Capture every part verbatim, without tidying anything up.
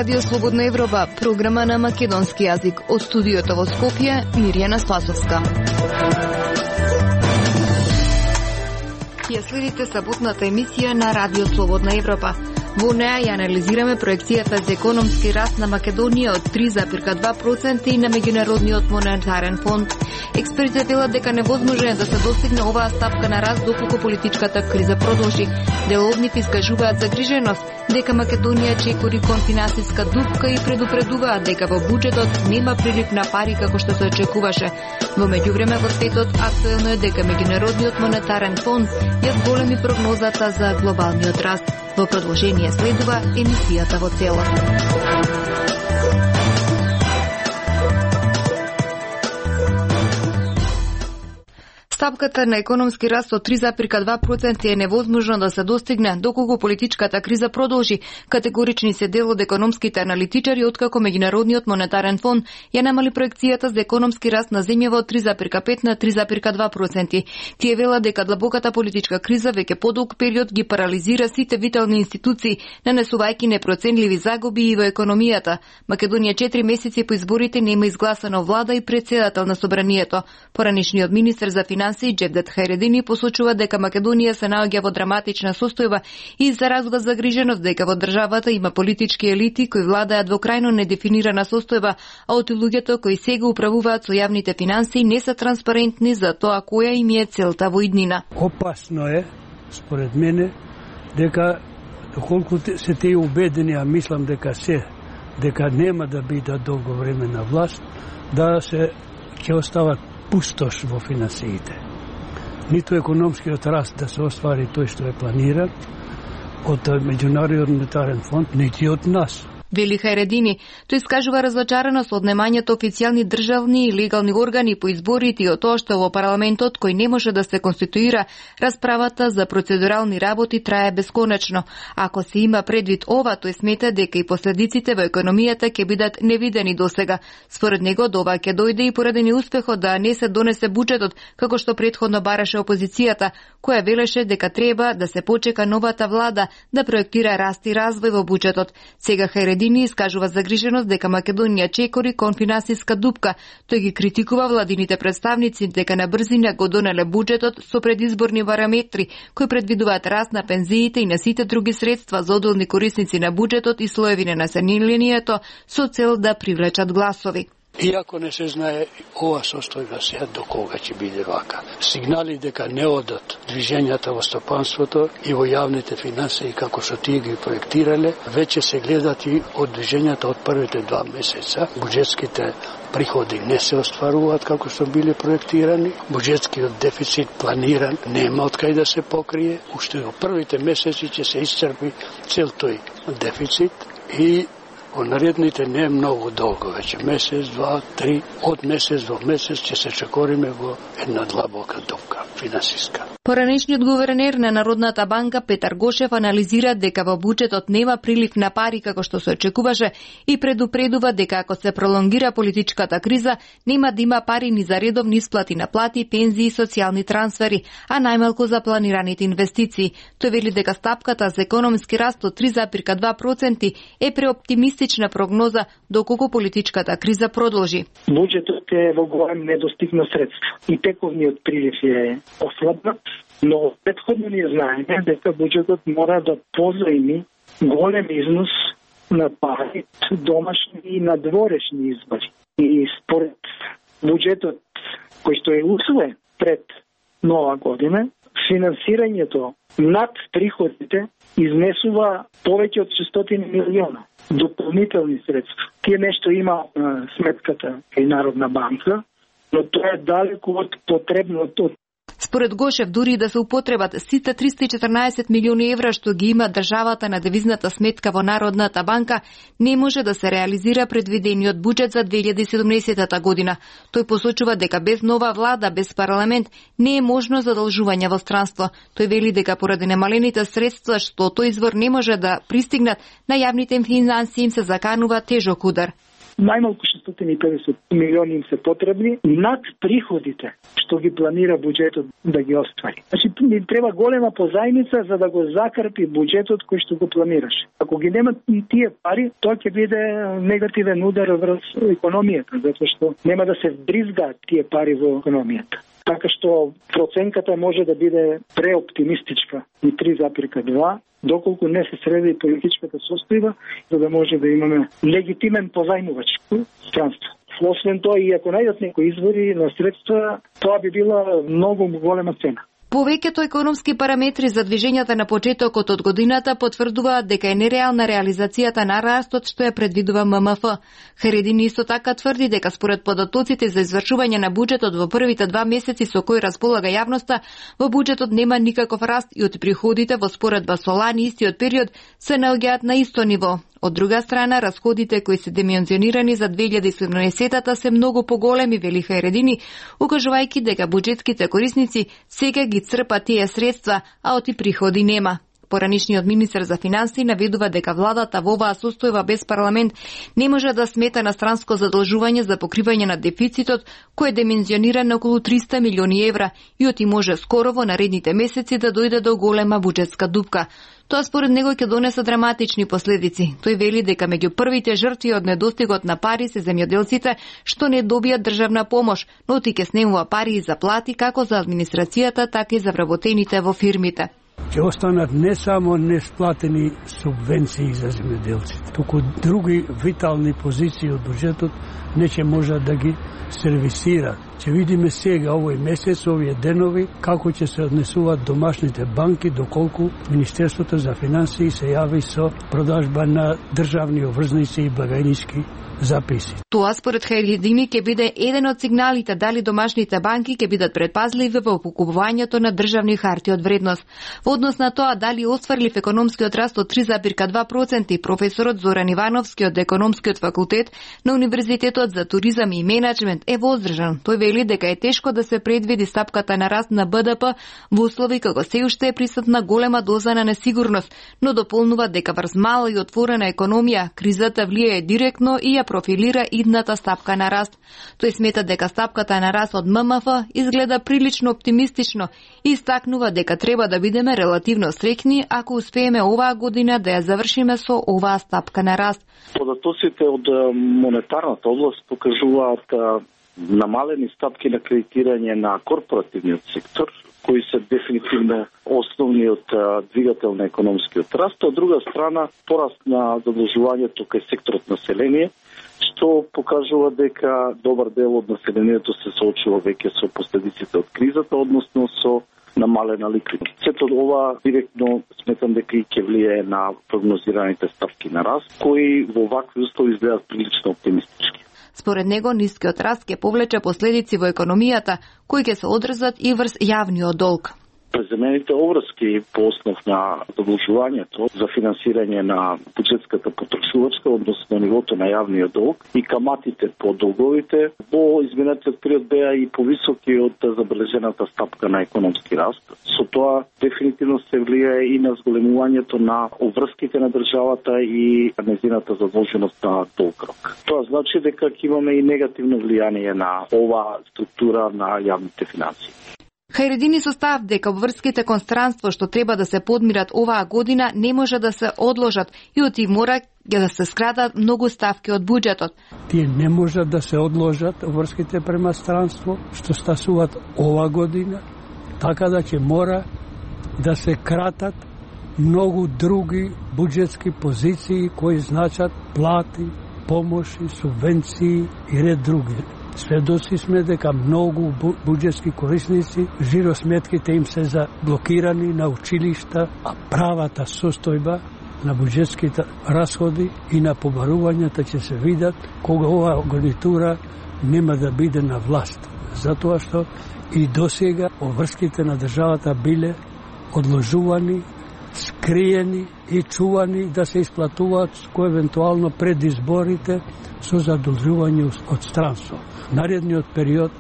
Радио Слободна Европа, програма на македонски јазик. Од студиото во Скопје, Мирјана Спасовска. Ја следите саботната емисија на Радио Слободна Европа. Во неа ја анализираме проекцијата за економски раст на Македонија од три зарез два проценти и на Меѓународниот монетарен фонд. Експертите велат дека невозможно да се достигне оваа стапка на раст доколку политичката криза продолжи. Дел од нив искажуваат загриженост дека Македонија чекори кон финансиска дупка и предупредуваат дека во буџетот нема прилив на пари како што се очекуваше. Во меѓувреме во светот актуелно е дека Меѓународниот монетарен фонд ја зголеми прогнозата за глобалниот раст. Во продолжение следува емисијата во целост. Стапката на економски раст од три зарез два проценти е невозможно да се достигне доколку политичката криза продолжи. Категорични се дел од економските аналитичари откако Меѓународниот монетарен фонд ја намали проекцијата за економски раст на земјава од три зарез пет на три зарез два проценти. Тие велат дека длабоката политичка криза веќе подолг период ги парализира сите витални институции, нанесувајќи непроценливи загуби и во економијата. Македонија четири месеци по изборите нема изгласано влада и претседател на собранието. Поранишниот министер за финансии Джевдет Хајредини посочува дека Македонија се наоѓа во драматична состојба и изразува загриженост дека во државата има политички елити кои владаат во крајно недефинирана состојба, а од луѓето кои сега управуваат со јавните финансии не се транспарентни за тоа која им е целта во иднина. Опасно е, според мене, дека доколку се тие убедени, а мислам дека се, дека нема да бидат долго време на власт, да се ќе остават пустош во финансиите. Ниту економскиот раст да се оствари тој што е планиран од Меѓународниот монетарен фонд, нити од нас. Вели Хајредини, тој искажува разочараност од немањето официјални државни и легални органи по изборите и од тоа што во парламентот кој не може да се конституира, расправата за процедурални работи трае бесконечно. Ако се има предвид ова, тој смета дека и последиците во економијата ќе бидат невидени досега. Според него, до ова ќе дојде и поради неуспехот да не се донесе буџетот, како што претходно бараше опозицијата, која велеше дека треба да се почека новата влада да проектира раст и развој во буџетот. Сега Хајредини искажува загриженост дека Македонија чекори кон финансиска дупка. Тој ги критикува владините представници дека на брзина го донеле буџетот со предизборни параметри кои предвидуваат раст на пензиите и на сите други средства за одделни корисници на буџетот и слоеви на населението со цел да привлечат гласови. Иако не се знае ова состојба сега до кога ќе биде вака. Сигнали дека не одат движењата во стопанството и во јавните финансии како што тие ги проектирале, веќе се гледат и од движењата од првите два месеца. Буџетските приходи не се остваруваат како што биле проектирани, буџетскиот дефицит планиран нема од кај да се покрие, уште во првите месеци ќе се исцрпи цел тој дефицит и во наредните не е многу долго, веќе месец, два, три, од месец до месец ќе се чекориме во една длабока дупка финансиска. Поранешниот гувернер на Народната банка Петар Гошев анализира дека во буџетот нема прилив на пари како што се очекуваше и предупредува дека ако се пролонгира политичката криза, нема да има пари ни за редовни исплати на плати, пензии и социјални трансфери, а најмалку за планираните инвестиции. Тој вели дека стапката за економски раст од три зарез два проценти е преоптимистична прогноза доколку политичката криза продолжи. Буџетот е во голем недостиг на средства и тековниот прилив е ослабнат, но претходно ние знаеме дека буџетот мора да позајми голем износ на пари, домашни и надворешни избори. И според буџетот кој што е усвоен пред нова година, финансирањето над приходите изнесува повеќе од шестстотини милиона дополнителни средства. Тие нешто има на сметката и Народна банка, но тоа е далеку од потребното. Според Гошев, дури да се употребат сите триста и четрнаесет милиони евра што ги има државата на девизната сметка во Народната банка, не може да се реализира предвидениот буџет за две илјади и седумнаесета година. Тој посочува дека без нова влада, без парламент, не е можно задолжување во странство. Тој вели дека поради немалените средства што тој извор не може да пристигнат, на јавните финансии им се заканува тежок удар. најмалку шестстотини и педесет милиони им се потребни над приходите што ги планира буџетот да ги оствари. Значи ни треба голема позајмица за да го закрпи буџетот кој што го планираше. Ако ги нема тие пари, тоа ќе биде негативен удар врз економијата, затоа што нема да се вбризгаат тие пари во економијата. Така што проценката може да биде преоптимистичка и три запирка два, доколку не се среди политичката состојба, за да може да имаме легитимен позајмувач странство. Освен тоа, и ако најдат некои извори на средства, тоа би била многу голема цена. Повеќето економски параметри за движењата на почетокот од годината потврдуваат дека е нереална реализацијата на растот што ја предвидува М М Ф. Харедини исто така тврди дека според податоците за извршување на буџетот во првите два месеци со кои располага јавноста, во буџетот нема никаков раст и од приходите во споредба со лани истиот период се наоѓаат на исто ниво. Од друга страна, расходите кои се димензионирани за две илјади и седумнаесетата се многу поголеми, вели Харедини, укажувајќи дека буџетските корисници сега ги црпат тие средства, а оти приходи нема. Поранишниот министер за финансии наведува дека владата во оваа состојба без парламент не може да смета на странско задолжување за покривање на дефицитот, кој е димензиониран на околу триста милиони евра и оти може скоро во наредните месеци да дојде до голема буџетска дупка. Тоа според него ќе донесе драматични последици. Тој вели дека меѓу првите жртви од недостигот на пари се земјоделците што не добијат државна помош, но ти ќе снемува пари и заплати како за администрацијата, така и за вработените во фирмите. Ќе останат не само несплатени субвенции за земјоделците, туку други витални позиции од буџетот не ќе можат да ги сервисираат. Ќе видиме сега овој месец, овие денови, како ќе се однесуваат домашните банки, доколку Министерството за финансии се јави со продажба на државни обврзници и благајнички записи. Тоа според Харедини ќе биде еден од сигналите дали домашните банки ќе бидат предпазливи во покупувањето на државни харти од вредност. Во однос на тоа дали остварлив економскиот раст од три запирка два проценти, професорот Зоран Ивановски од економскиот факултет на Универзитетот за туризам и менаџмент е воздржан. Тој вели дека е тешко да се предвиди стапката на раст на Б Д П во услови како се уште е присутна голема доза на несигурност, но дополнува дека врз мала и отворена економија кризата влијае директно и ја профилира идната стапка на раст. Тој смета дека стапката на раст од М М Ф изгледа прилично оптимистично и истакнува дека треба да бидеме релативно среќни ако успееме оваа година да ја завршиме со оваа стапка на раст. Податоците од монетарната област покажуваат намалени стапки на кредитирање на корпоративниот сектор, кои се дефинитивно основниот двигател на економскиот раст. Од друга страна, пораст на задолжувањето кај секторот население, што покажува дека добар дел од населението се соочува веќе со последиците од кризата, односно со намалена ликвидност. Сето ова директно сметам дека и ќе влијае на прогнозираните ставки на раст, кои во вакви услови изгледаат прилично оптимистички. Според него, нискиот раст ќе повлече последици во економијата, кои ќе се одразат и врз јавниот долг. Преземените обврски по основ на задолжувањето за финансирање на буџетската потрошувачка, односно нивото на јавниот долг и каматите по долговите во изминатиот период беа и повисоки од забележената стапка на економски раст. Со тоа дефинитивно се влијае и на зголемувањето на обврските на државата и нејзината задолженост на долг. Тоа значи дека ќе имаме и негативно влијание на оваа структура на јавните финансии. Харедини состав дека обврските кон странство што треба да се подмират оваа година не може да се одложат и оти мора да се скратат многу ставки од буџетот. Тие не можат да се одложат обврските према странство што стасуваат оваа година, така да ќе мора да се кратат многу други буџетски позиции кои значат плати, помоши, субвенции и ред други. Сведоци сме дека многу буџетски корисници жиросметките им се заблокирани на училишта, а правата состојба на буџетските расходи и на побарувањата ќе се видат кога оваа гарнитура нема да биде на власт. Затоа што и досега обврските на државата биле одложувани, скриени и чувани да се исплатуваат кој евентуално пред изборите со задолжување од странство. Наредниот период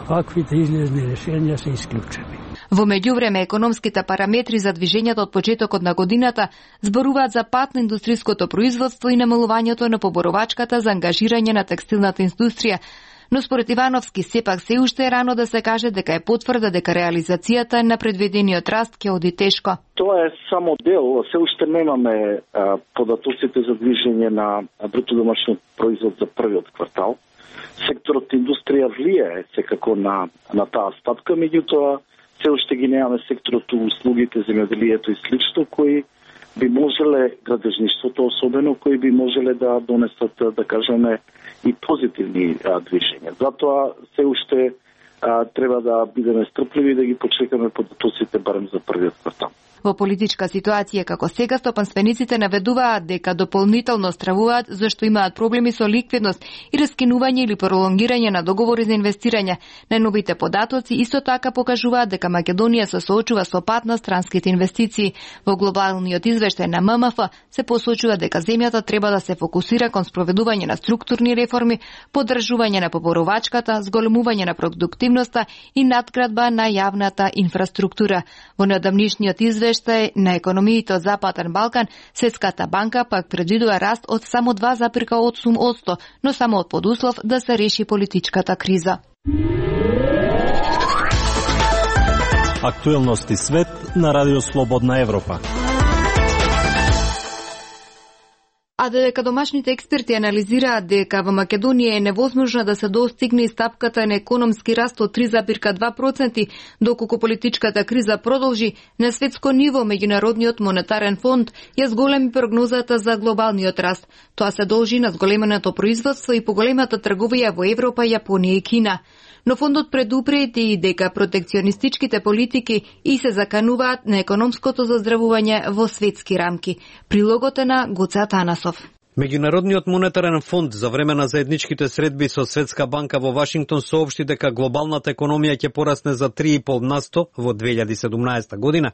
ваквите излезни решенија се исклучени. Во меѓувреме, економските параметри за движењето од почетокот на годината зборуваат за пат на индустријското производство и намалувањето на поборовачката за ангажирање на текстилната индустрија. Но според Ивановски, сепак се уште е рано да се каже дека е потврда дека реализацијата на предвидениот раст ќе оди тешко. Тоа е само дел, се уште немаме а, податоците за движење на бруто домашен производ за првиот квартал. Секторот индустрија влијае секако на на таа стапка, меѓутоа се уште ги немаме секторот услугите, земјоделието и слично, кои би можеле, градежништвото особено, кои би можеле да донесат, да кажеме, и позитивни а, движења. Затоа се уште а, треба да бидеме стрпливи и да ги почекаме податоците барем за првиот квартал. Во политичка ситуација како сега, стопанствениците наведуваат дека дополнително стравуваат зашто имаат проблеми со ликвидност и раскинување или пролонгирање на договори за инвестирање. Најновите податоци исто така покажуваат дека Македонија се соочува со пат на странските инвестиции. Во глобалниот извештај на М М Ф се посочува дека земјата треба да се фокусира кон спроведување на структурни реформи, поддржување на поборовачката, зголемување на продуктивноста и надградба на јавната инфраструктура. Во неодамнишниот извештај на економиите од Западен Балкан, Светската банка пак предвидува раст од само два запирка осум одсто, но само од подуслов да се реши политичката криза. Актуелности свет на Радио Слободна Европа. А додека домашните експерти анализираат дека во Македонија е невозможно да се достигне стапката на економски раст од три запирка два проценти, доколку политичката криза продолжи, на светско ниво Меѓународниот монетарен фонд ја зголеми прогнозата за глобалниот раст. Тоа се должи на зголеменото производство и поголемата трговија во Европа, Јапонија и Кина. Но фондот предупреди дека протекционистичките политики и се закануваат на економското заздравување во светски рамки. Прилогот е на Гоце Атанасов. Меѓународниот монетарен фонд за време на заедничките средби со Светска банка во Вашингтон соопшти дека глобалната економија ќе порасне за три и пол насто во две илјади и седумнаесета година,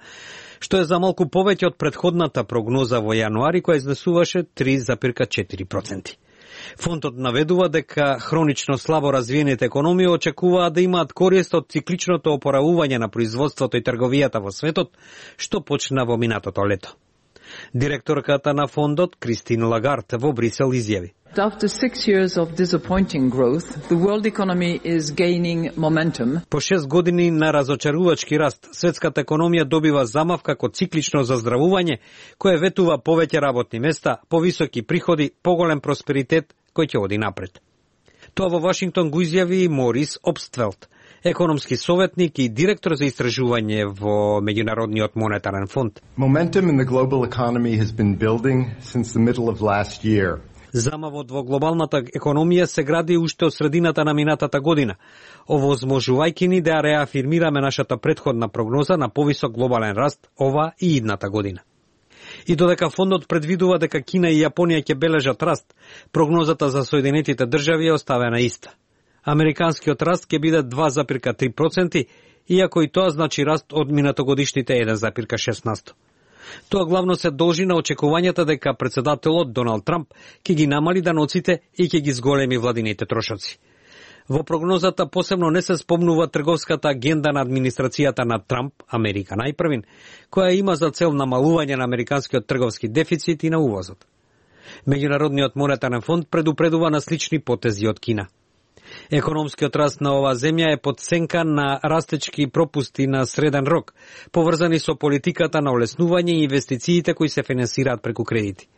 што е за малку повеќе од претходната прогноза во јануари која изнесуваше три запирка четири проценти. Фондот наведува дека хронично слабо развиените економии очекуваат да имаат корист од цикличното опоравување на производството и трговијата во светот, што почна во минатото лето. Директорката на фондот, Кристин Лагард, во Брисел изјави: After six years of disappointing growth, the world economy is gaining momentum. По шест години на разочарувачки раст, светската економија добива замав како циклично заздравување, кое ветува повеќе работни места, повисоки приходи, поголем просперитет кој ќе оди напред. Тоа во Вашингтон го изјави Морис Обствелт, економски советник и директор за истражување во Меѓународниот монетарен фонд. Momentum in the global economy has been building since the middle of last year. Замавот во глобалната економија се гради уште од средината на минатата година, овозможувајќи ни да реафирмираме нашата претходна прогноза на повисок глобален раст ова и идната година. И додека фондот предвидува дека Кина и Јапонија ќе бележат раст, прогнозата за Соединетите држави е оставена иста. Американскиот раст ќе биде два запирка три проценти, иако и тоа значи раст од минатогодишните еден запирка шест насто. Тоа главно се должи на очекувањата дека председателот Доналд Трамп ќе ги намали даноците и ќе ги зголеми владините трошоци. Во прогнозата посебно не се спомнува трговската агенда на администрацијата на Трамп, Америка најпрвин, која има за цел намалување на американскиот трговски дефицит и на увозот. Меѓународниот монетарен фонд предупредува на слични потези од Кина. Економскиот раст на оваа земја е подсенка на растечки пропусти на среден рок, поврзани со политиката на олеснување и инвестициите кои се финансираат преку кредити.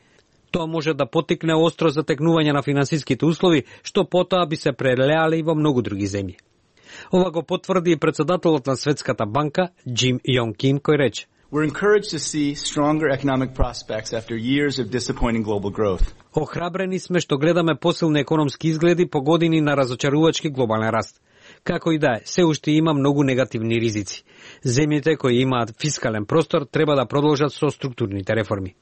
Тоа може да потикне остро затекнување на финансиските услови, што потоа би се прелеале и во многу други земји. Ова го потврди и председателот на Светската банка, Джим Јонг Ким, кој рече: We're encouraged to see stronger economic prospects after years of disappointing global growth. Охрабрени сме што гледаме посилни економски изгледи по години на разочарувачки глобален раст. Како и да е, се уште има многу негативни ризици. Земјите кои имаат фискален простор треба да продолжат со структурните реформи.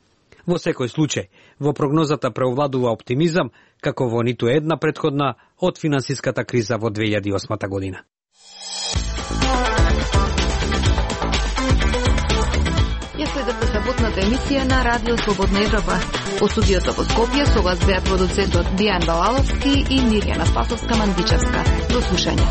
Во секој случај, во прогнозата преовладува оптимизам, како во ниту една претходна од финансиската криза во две илјади и осма година. Ја следете саботната емисија на Радио Слободна Европа. Во студиото во Скопје со вас беа продуцентот Дијан Балаловски и Мирјана Спасовска-Мандичевска. До слушање.